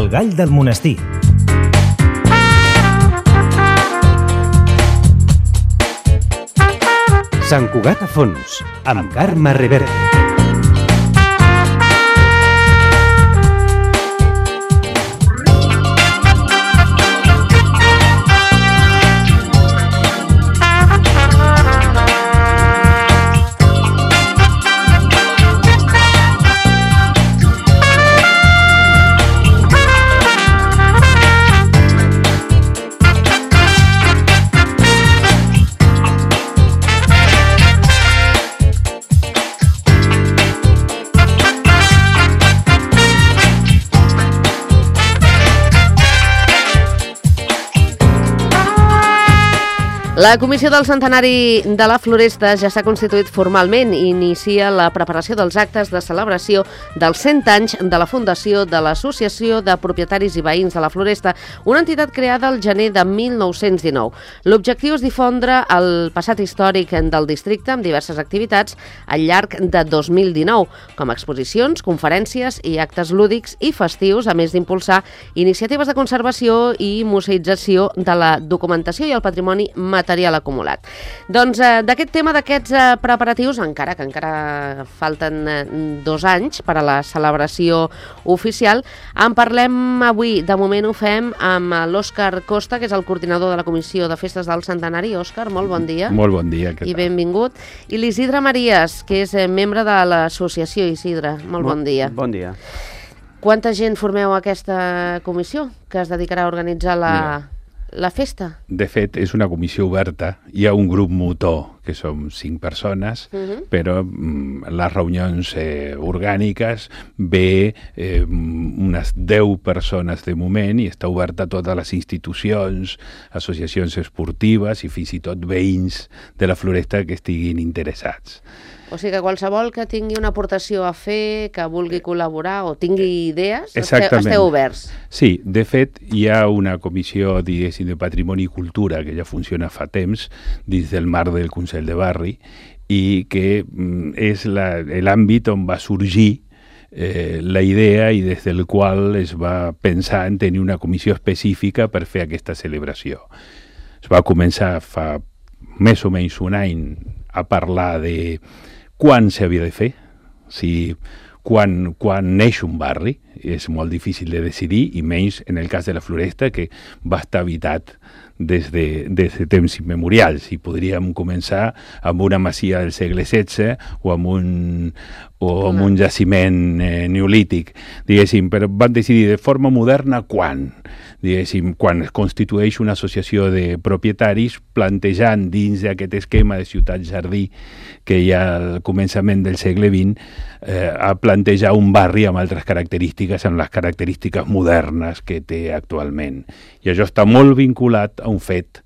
El gall del monestir. Sant Cugat a fons, amb Carme Reverte. La Comissió del Centenari de la Floresta ja s'ha constituït formalment i inicia la preparació dels actes de celebració dels 100 anys de la fundació de l'Associació de Propietaris i Veïns de la Floresta, una entitat creada al gener de 1919. L'objectiu és difondre el passat històric del districte amb diverses activitats al llarg de 2019, com exposicions, conferències i actes lúdics i festius, a més d'impulsar iniciatives de conservació i museïtzació de la documentació i el patrimoni material acumulat. Doncs d'aquest tema, d'aquests preparatius, encara falten 2 anys per a la celebració oficial, en parlem avui. De moment ho fem amb l'Òscar Costa, que és el coordinador de la Comissió de Festes del Centenari. Òscar, molt bon dia. Molt bon dia. I benvingut. I l'Isidre Maries, que és membre de l'associació. Isidre, molt bon dia. Bon dia. Quanta gent formeu aquesta comissió que es dedicarà a organitzar la festa? De fet, és una comissió oberta. Hi ha un grup motor, que som 5 persones, però les reunions orgàniques ve unes 10 persones de moment i està oberta a totes les institucions, associacions esportives i fins i tot veïns de la Floresta que estiguin interessats. O sigui que qualsevol que tingui una aportació a fer, que vulgui col·laborar o tingui idees, esteu oberts. Sí, de fet, hi ha una comissió, diguéssim, de Patrimoni i Cultura que ja funciona fa temps dins del marc del Consell de Barri i que és l'àmbit on va sorgir la idea i des del qual es va pensar en tenir una comissió específica per fer aquesta celebració. Es va començar fa més o menys un any a parlar de quan s'havia de fer, quan neix un barri, és molt difícil de decidir, i menys en el cas de la Floresta, que va estar habitat des de temps immemorials, i podríem començar amb una masia del segle XVI o amb un jaciment neolític, diguéssim, però van decidir de forma moderna quan es constitueix una associació de propietaris plantejant dins d'aquest esquema de ciutat-jardí que hi ha al començament del segle XX a plantejar un barri amb altres característiques, amb les característiques modernes que té actualment. I això està molt vinculat a un fet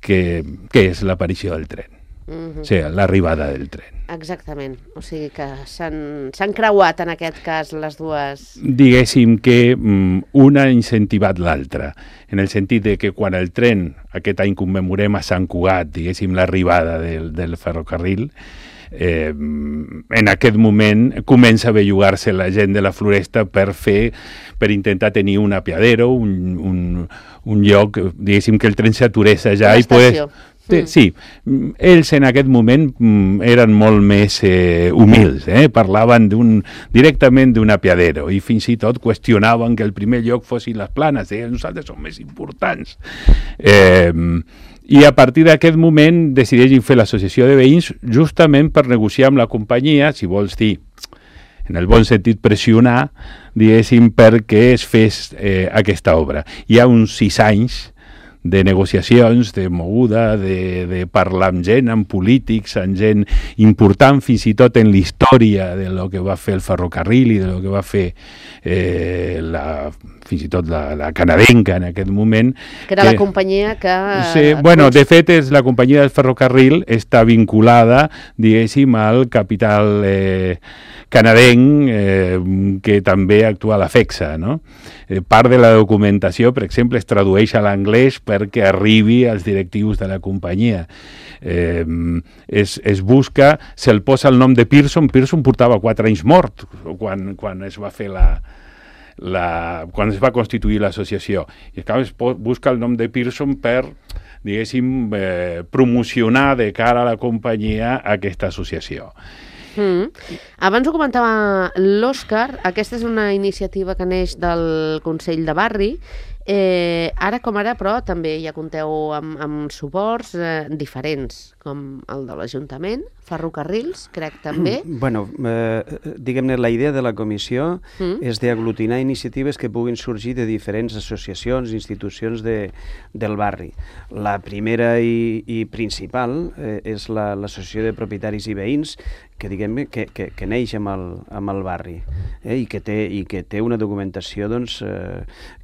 que és l'aparició del tren, o sigui, l'arribada del tren. Exactament, o sigui que s'han creuat en aquest cas les dues... Diguéssim que una ha incentivat l'altra, en el sentit de que quan el tren, aquest any commemorem a Sant Cugat, diguéssim, l'arribada del ferrocarril, en aquest moment comença a bellugar-se la gent de la Floresta per intentar tenir un apiadero, un lloc, diguéssim, que el tren s'aturés allà i poder... Sí, ells en aquest moment eren molt més humils, parlaven directament d'un apiadero i fins i tot qüestionaven que el primer lloc fossin les planes, nosaltres som més importants. I a partir d'aquest moment decideixen fer l'associació de veïns justament per negociar amb la companyia, si vols dir, en el bon sentit pressionar, diguéssim, perquè es fes aquesta obra. Hi ha uns 6 anys de negociacions, de moguda, de parlar amb gent, amb polítics, amb gent important fins i tot en la història de lo que va fer el ferrocarril i de lo que va fer fins i tot la canadenca en aquest moment. Que era la companyia que... Sí, de fet, la companyia del ferrocarril està vinculada, diguéssim, al capital canadenc que també actua a la FEXA, no? Part de la documentació, per exemple, es tradueix a l'anglès perquè arribi als directius de la companyia. Es busca, se'l posa el nom de Pearson. Pearson portava 4 anys mort quan es va fer quan es va constituir l'associació. I clar, es busca el nom de Pearson per, diguéssim, promocionar de cara a la companyia aquesta associació. Abans ho comentava l'Òscar, aquesta és una iniciativa que neix del Consell de Barri. Ara com ara, però, també ja compteu amb suports diferents, com el de l'Ajuntament, ferrocarrils, crec també. Bueno, diguem-ne, la idea de la comissió és d'aglutinar iniciatives que puguin sorgir de diferents associacions, institucions del barri. La primera i principal és l'Associació de Propietaris i Veïns, que diguem que neix amb el barri i que té una documentació doncs,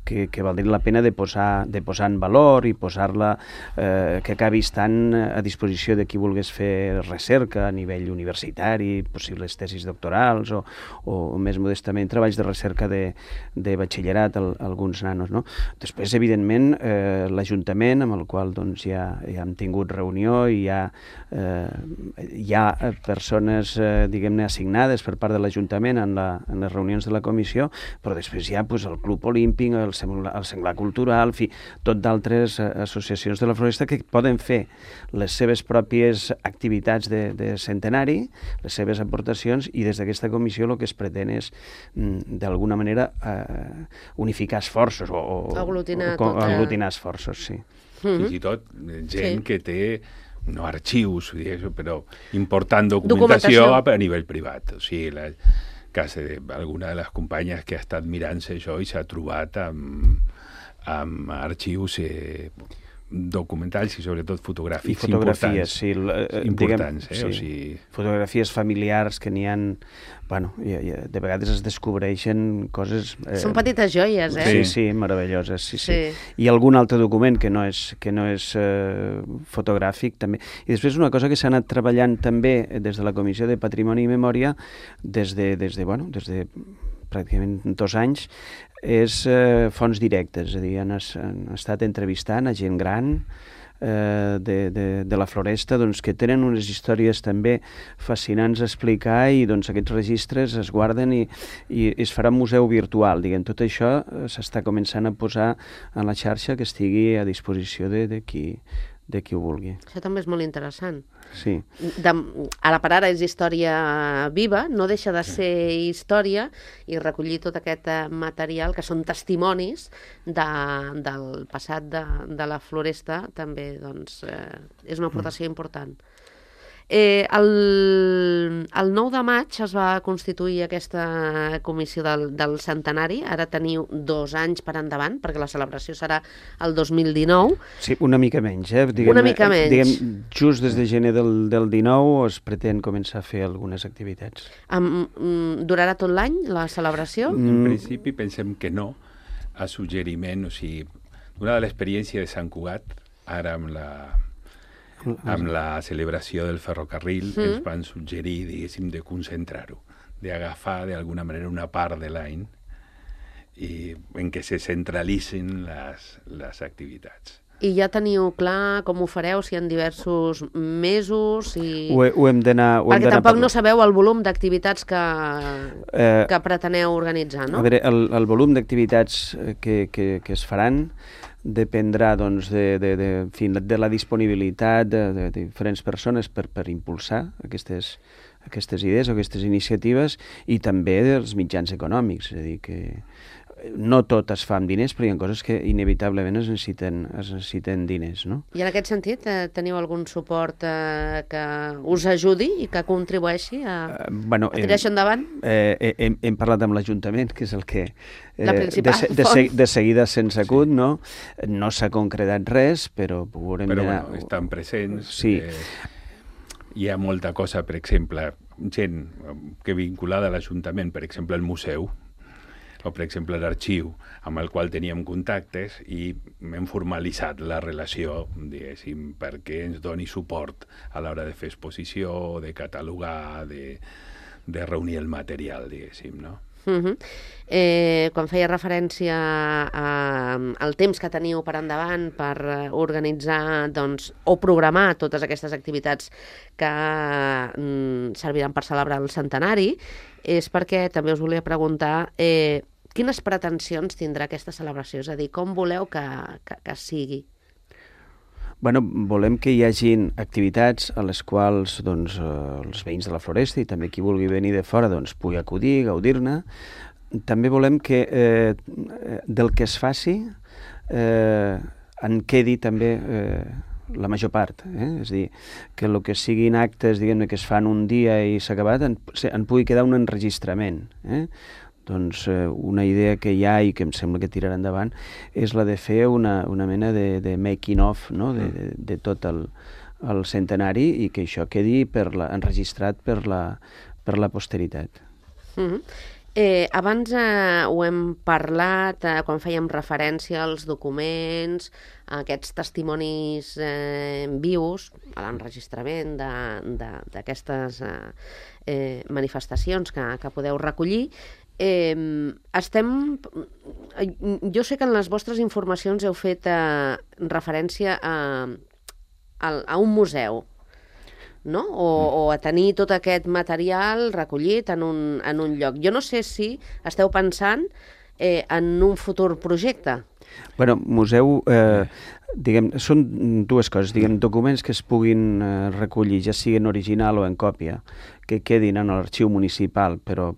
que valdria la pena de posar en valor i posar-la, que acabi estant a disposició de qui volgués fer recerca a nivell universitari, possibles tesis doctorals o més modestament treballs de recerca de batxillerat a alguns nanos. No? Després, evidentment, l'Ajuntament, amb el qual doncs, ja hem tingut reunió i hi ha persones diguem-ne assignades per part de l'Ajuntament en les reunions de la comissió, però després hi ha doncs, el Club Olímpic, el Senglar Cultural, en fi, tot d'altres associacions de la Floresta que poden fer les seves pròpies activitats de centenari, les seves aportacions, i des d'aquesta comissió el que es pretén és d'alguna manera unificar esforços o aglutinar esforços, sí. Fins i tot gent que té no arxius, però important documentació a nivell privat. O sigui, alguna de les companyes que ha estat mirant-se això i s'ha trobat amb arxius documentals i sobretot fotogràfics importants. Fotografies familiars que n'hi ha, bueno, de vegades es descobreixen coses... Són petites joies, Sí, meravelloses, sí. I algun altre document que no és fotogràfic, també. I després una cosa que s'ha anat treballant també des de la Comissió de Patrimoni i Memòria des de pràcticament 2 anys, és fonts directes, és a dir, han estat entrevistant a gent gran de la Floresta, doncs, que tenen unes històries també fascinants a explicar, i doncs, aquests registres es guarden i es farà un museu virtual. Diguem, tot això s'està començant a posar en la xarxa, que estigui a disposició de qui ho vulgui. Això també és molt interessant. Sí. Ara per ara és història viva, no deixa de ser història, i recollir tot aquest material, que són testimonis del passat de la Floresta, també doncs, és una aportació important. El 9 de maig es va constituir aquesta comissió del centenari. Ara teniu 2 anys per endavant, perquè la celebració serà el 2019. Sí, una mica menys. Una mica menys. Diguem, just des de gener del 19 es pretén començar a fer algunes activitats. Durarà tot l'any la celebració? En principi pensem que no. A suggeriment, o sigui, donada l'experiència de Sant Cugat, ara amb la celebració del ferrocarril, ens van suggerir, diguéssim, de concentrar-ho, d'agafar d'alguna manera una part de l'any en què se centralitzin les activitats. I ja teniu clar com ho fareu, si en diversos mesos? Ho hem d'anar... Perquè tampoc no sabeu el volum d'activitats que preteneu organitzar, no? A veure, el volum d'activitats que es faran dependrà doncs, de la disponibilitat de diferents persones per impulsar aquestes idees o aquestes iniciatives, i també dels mitjans econòmics. És a dir, que no tot es fa amb diners, però hi ha coses que inevitablement es necessiten diners, no? I en aquest sentit, teniu algun suport que us ajudi i que contribueixi a tirar això endavant? Hem parlat amb l'Ajuntament, que és el que de seguida se'ns acut, no? No s'ha concretat res, però veurem... Però bueno, estan presents. Sí. Hi ha molta cosa, per exemple, gent que vinculada a l'Ajuntament, per exemple, el museu, o per exemple l'arxiu, amb el qual teníem contactes, i hem formalitzat la relació, diguéssim, perquè ens doni suport a l'hora de fer exposició, de catalogar, de reunir el material, diguéssim, no? Quan feia referència al temps que teniu per endavant per organitzar o programar totes aquestes activitats que serviran per celebrar el centenari, és perquè també us volia preguntar quines pretensions tindrà aquesta celebració? És a dir, com voleu que sigui? Bueno, volem que hi hagin activitats a les quals doncs, els veïns de la Floresta i també qui vulgui venir de fora doncs, pugui acudir, gaudir-ne. També volem que del que es faci en quedi també la major part. És a dir, que el que siguin actes diguem-ne que es fan un dia i s'ha acabat, en pugui quedar un enregistrament. Doncs una idea que hi ha i que em sembla que tirarà endavant és la de fer una mena de making of, no? de tot el centenari i que això quedi enregistrat per la posteritat. Abans ho hem parlat quan fèiem referència als documents, a aquests testimonis vius, a l'enregistrament d'aquestes manifestacions que podeu recollir. Jo sé que en les vostres informacions heu fet referència a un museu, no? O a tenir tot aquest material recollit en un lloc. Jo no sé si esteu pensant en un futur projecte. Bueno, museu, són dues coses, documents que es puguin recollir, ja siguin original o en còpia, que quedin en l'arxiu municipal, però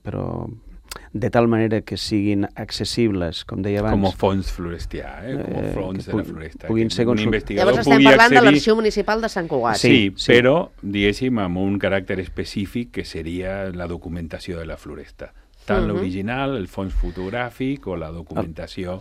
de tal manera que siguin accessibles, com deia abans. Com fons florestià, com fons de la floresta. Puguin ser un investigador Llavors estem parlant de l'Arxiu Municipal de Sant Cugat. Sí, però, diguéssim, amb un caràcter específic que seria la documentació de la floresta. Tant l'original, el fons fotogràfic o la documentació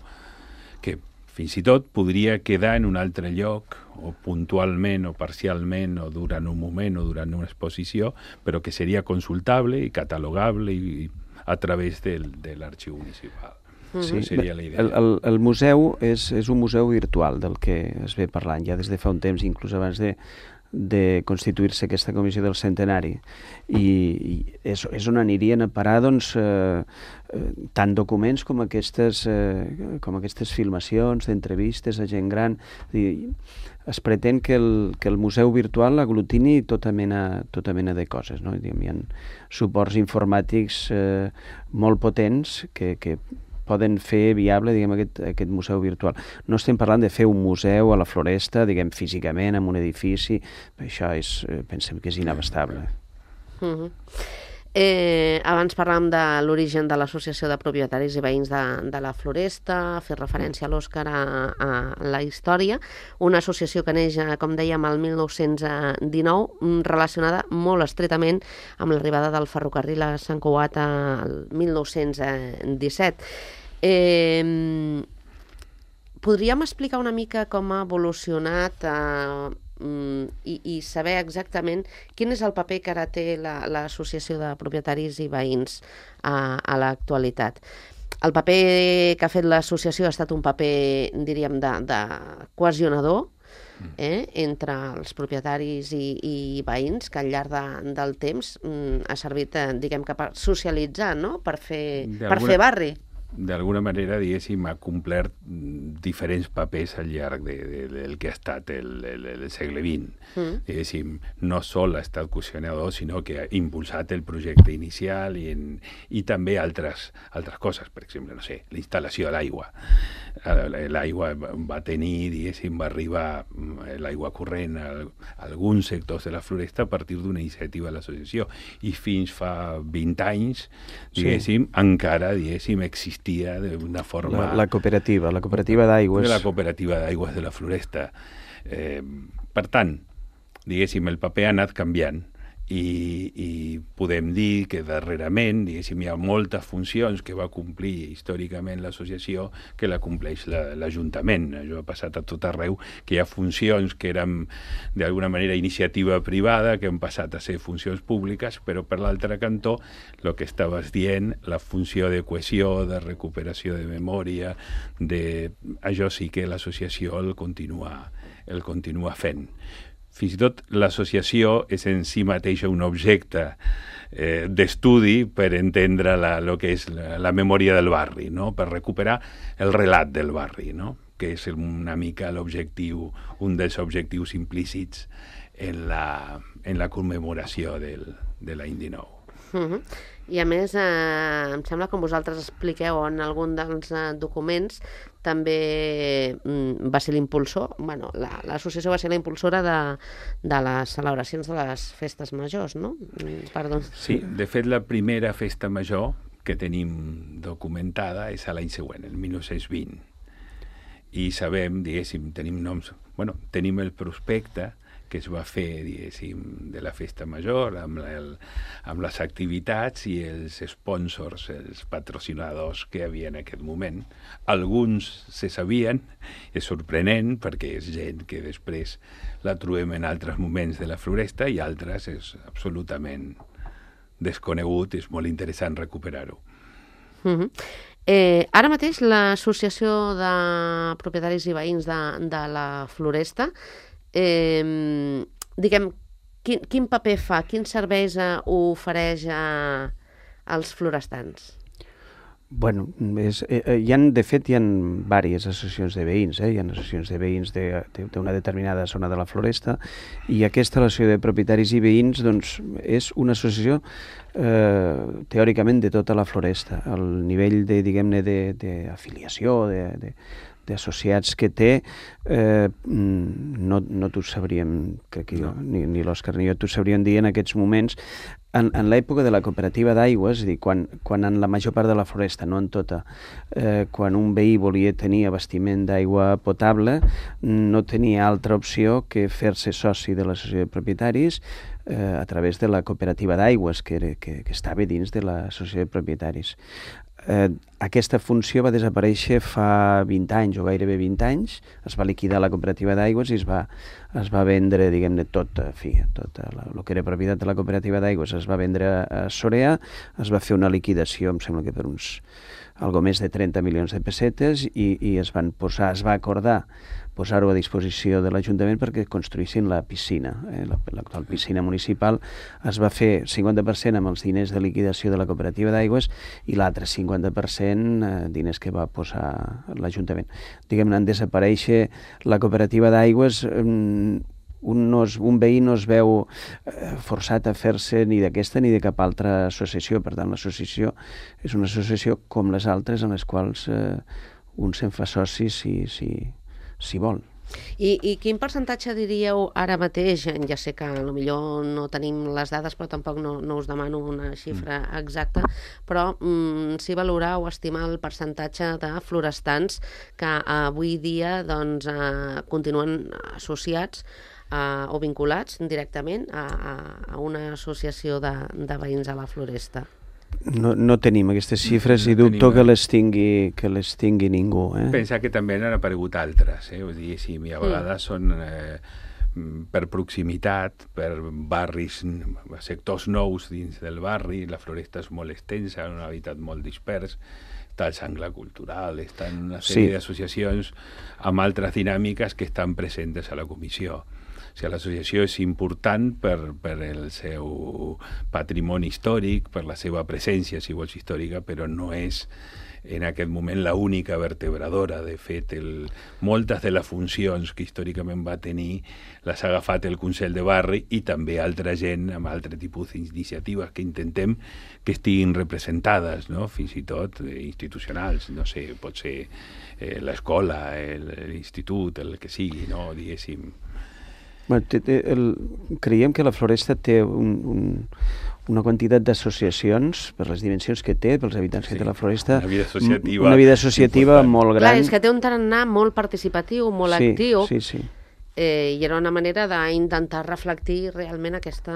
que fins i tot podria quedar en un altre lloc, o puntualment o parcialment, o durant un moment o durant una exposició, però que seria consultable i catalogable i a través de l'arxiu municipal. Sí, seria la idea. El museu és un museu virtual del que es ve parlant ja des de fa un temps, inclús abans de constituir-se aquesta comissió del centenari. I és on anirien a parar doncs, tant documents com aquestes filmacions d'entrevistes a gent gran. Es pretén que el museu virtual aglutini tota mena de coses. No? Hi ha suports informàtics molt potents que poden fer viable aquest museu virtual. No estem parlant de fer un museu a la Floresta, físicament, en un edifici. Això pensem que és inabastable. Abans parlàvem de l'origen de l'Associació de Propietaris i Veïns de la Floresta, fer referència a l'Òscar a la història, una associació que neix, com dèiem, el 1919, relacionada molt estretament amb l'arribada del ferrocarril a Sant Cugat el 1917. Podríem explicar una mica com ha evolucionat i saber exactament quin és el paper que ara té l'Associació de Propietaris i Veïns a l'actualitat. El paper que ha fet l'associació ha estat un paper, diríem, de cohesionador entre els propietaris i veïns, que al llarg del temps ha servit, diguem, per socialitzar, no? Per fer barri. D'alguna manera, diguéssim, ha complert diferents papers al llarg del que ha estat el segle XX. Diguéssim, no sol ha estat cohesionador, sinó que ha impulsat el projecte inicial i també altres coses. Per exemple, no sé, la instal·lació de l'aigua. L'aigua va tenir, diguéssim, va arribar l'aigua corrent a alguns sectors de la Floresta a partir d'una iniciativa de l'associació. I fins fa 20 anys, diguéssim, encara, diguéssim, existia d'una forma... La cooperativa d'aigües. La cooperativa d'aigües de la Floresta. Per tant, diguéssim, el paper ha anat canviant i podem dir que darrerament, diguéssim, hi ha moltes funcions que va complir històricament l'associació que la compleix l'Ajuntament. Això ha passat a tot arreu, que hi ha funcions que eren d'alguna manera iniciativa privada, que han passat a ser funcions públiques, però per l'altre cantó, el que estaves dient, la funció de cohesió, de recuperació de memòria, això sí que l'associació el continua fent. Fins i tot l'associació és en si mateixa un objecte d'estudi per entendre el que és la memòria del barri, no? Per recuperar el relat del barri, no? Que és una mica l'objectiu, un dels objectius implícits en la commemoració de l'any 19. I a més, em sembla que vosaltres expliqueu en algun dels documents, també va ser l'impulsor, bueno, l'associació va ser la impulsora de les celebracions de les festes majors, no? Perdó. Sí, de fet la primera festa major que tenim documentada és a l'any següent, el 1920. I sabem, diguéssim, tenim noms... Bueno, tenim el prospecte que es va fer, diguéssim, de la festa major, amb les activitats i els sponsors, els patrocinadors que hi havia en aquest moment. Alguns se sabien, és sorprenent, perquè és gent que després la trobem en altres moments de la floresta i altres és absolutament desconegut, és molt interessant recuperar-ho. Ara mateix l'associació de propietaris i veïns de la floresta, diguem, quin paper fa, quins serveis ofereix als florestans? Bueno, de fet, hi ha diverses associacions de veïns, hi ha associacions de veïns d'una determinada zona de la floresta, i aquesta associació de propietaris i veïns doncs, és una associació teòricament de tota la floresta. El nivell d'afiliació, d'associats que té, no t'ho sabríem, crec que jo, ni l'Òscar ni jo t'ho sabríem dir en aquests moments. En l'època de la cooperativa d'aigües, és a dir, quan en la major part de la floresta, no en tota, quan un veí volia tenir abastiment d'aigua potable, no tenia altra opció que fer-se soci de l'associació de propietaris a través de la cooperativa d'aigües, que estava dins de l'associació de propietaris. Aquesta funció va desaparèixer fa 20 anys, o gairebé 20 anys, es va liquidar la cooperativa d'aigües i es va vendre, diguem-ne, tot el que era propietat de la cooperativa d'aigües es va vendre a Sorea, es va fer una liquidació, em sembla que per algo més de 30 milions de pessetes, i es va acordar posar-ho a disposició de l'Ajuntament perquè construïssin la piscina. L'actual piscina municipal es va fer 50% amb els diners de liquidació de la cooperativa d'aigües i l'altre 50% diners que va posar l'Ajuntament. Diguem-ne, en desaparèixer la cooperativa d'aigües, un veí no es veu forçat a fer-se ni d'aquesta ni de cap altra associació. Per tant, l'associació és una associació com les altres en les quals un se'n fa soci si vol. I quin percentatge diríeu ara mateix? Ja sé que potser no tenim les dades, però tampoc no us demano una xifra exacta, però si valorar o estimar el percentatge de florestans que avui dia continuen associats o vinculats directament a una associació de veïns a la floresta? No tenim aquestes xifres i dubto que les tingui ningú. Pensa que també han aparegut altres, diguéssim, i a vegades són per proximitat, per barris, sectors nous dins del barri. La floresta és molt extensa, un hàbitat molt dispers, està el Sangle Cultural, estan una sèrie d'associacions amb altres dinàmiques que estan presentes a la comissió. O sigui, l'associació és important per el seu patrimoni històric, per la seva presència, si vols, històrica, però no és en aquest moment l'única vertebradora. De fet, moltes de les funcions que històricament va tenir les ha agafat el Consell de Barri i també altra gent amb altre tipus d'iniciatives que intentem que estiguin representades, no? Fins i tot institucionals, no sé, pot ser l'escola, l'institut, el que sigui, no? Diguéssim. Creiem que la floresta té una quantitat d'associacions per les dimensions que té, pels habitants que té la floresta, una vida associativa molt gran. Clar, és que té un tarannà molt participatiu, molt actiu, i era una manera d'intentar reflectir realment aquest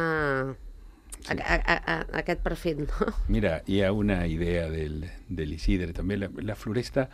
perfil, no? Mira, hi ha una idea de l'Isidre també. La floresta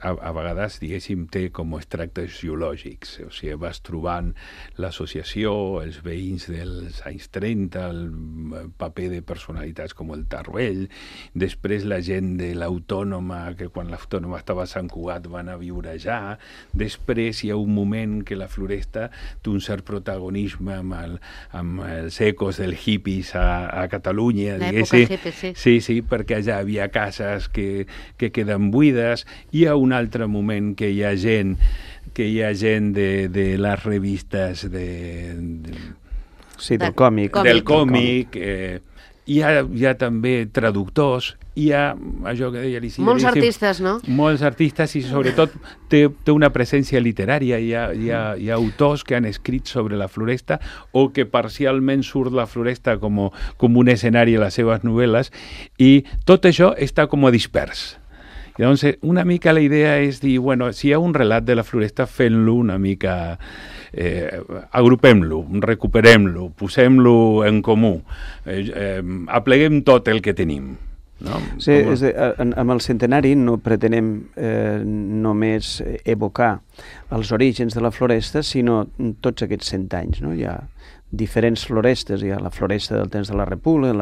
a vegades, diguéssim, té com extractes geològics. O sigui, vas trobant l'associació, els veïns dels anys 30, el paper de personalitats com el Tarruell, després la gent de l'Autònoma, que quan l'Autònoma estava a Sant Cugat van a viure allà. Després hi ha un moment que la floresta té un cert protagonisme amb els ecos del hippies a Catalunya. L'època hippie, sí. Sí, perquè allà havia cases que queden buides. Hi ha un altre moment que hi ha gent de les revistes del còmic. Del còmic, hi ha també traductors, hi ha això que deia l'Isidre. Molts artistes, no? Molts artistes i sobretot té una presència literària, hi ha autors que han escrit sobre la floresta o que parcialment surt la floresta com un escenari a les seves novel·les i tot això està com dispers. I llavors una mica la idea és dir, bueno, si hi ha un relat de la floresta, fent-lo una mica, agrupem-lo, recuperem-lo, posem-lo en comú, apleguem tot el que tenim. No? Sí, amb el centenari no pretenem només evocar els orígens de la floresta, sinó tots aquests 100 anys. No? Hi ha diferents florestes, hi ha la floresta del temps de la República,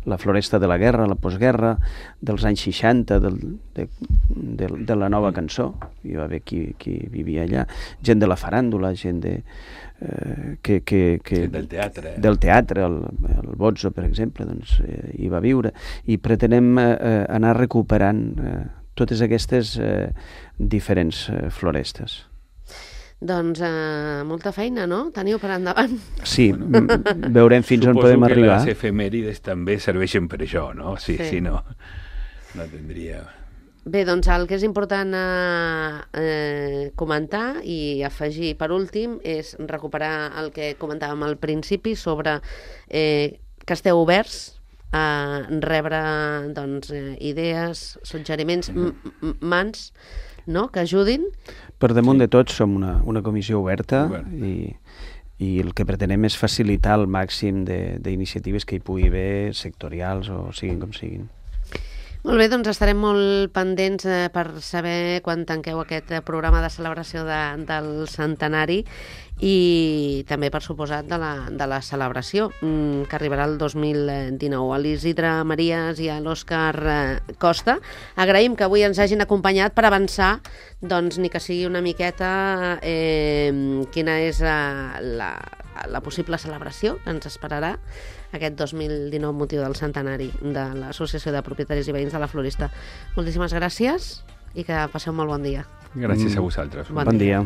la floresta de la guerra, la postguerra, dels anys 60, de la nova cançó, hi va haver qui vivia allà, gent de la faràndula, gent del teatre. Del teatre, el Bozzo, per exemple, doncs, hi va viure, i pretenem anar recuperant totes aquestes diferents florestes. Doncs molta feina, no? Teniu per endavant. Sí, veurem fins on podem arribar. Suposo que les efemèrides també serveixen per això, no? Sí. Si no tindria... Bé, doncs el que és important comentar i afegir per últim és recuperar el que comentàvem al principi sobre que esteu oberts a rebre doncs, idees, suggeriments, mans, no? Que ajudin. Per damunt de tot som una comissió oberta i el que pretenem és facilitar el màxim d'iniciatives que hi pugui haver, sectorials o siguin com siguin. Molt bé, doncs estarem molt pendents per saber quan tanqueu aquest programa de celebració del centenari i també, per suposat, de la celebració que arribarà el 2019. A l'Isidre Marías i a l'Òscar Costa agraïm que avui ens hagin acompanyat per avançar, doncs, ni que sigui una miqueta quina és la possible celebració que ens esperarà aquest 2019 motiu del centenari de l'Associació de Propietaris i Veïns de la Florista. Moltíssimes gràcies i que passeu un molt bon dia. Gràcies a vosaltres. Bon dia.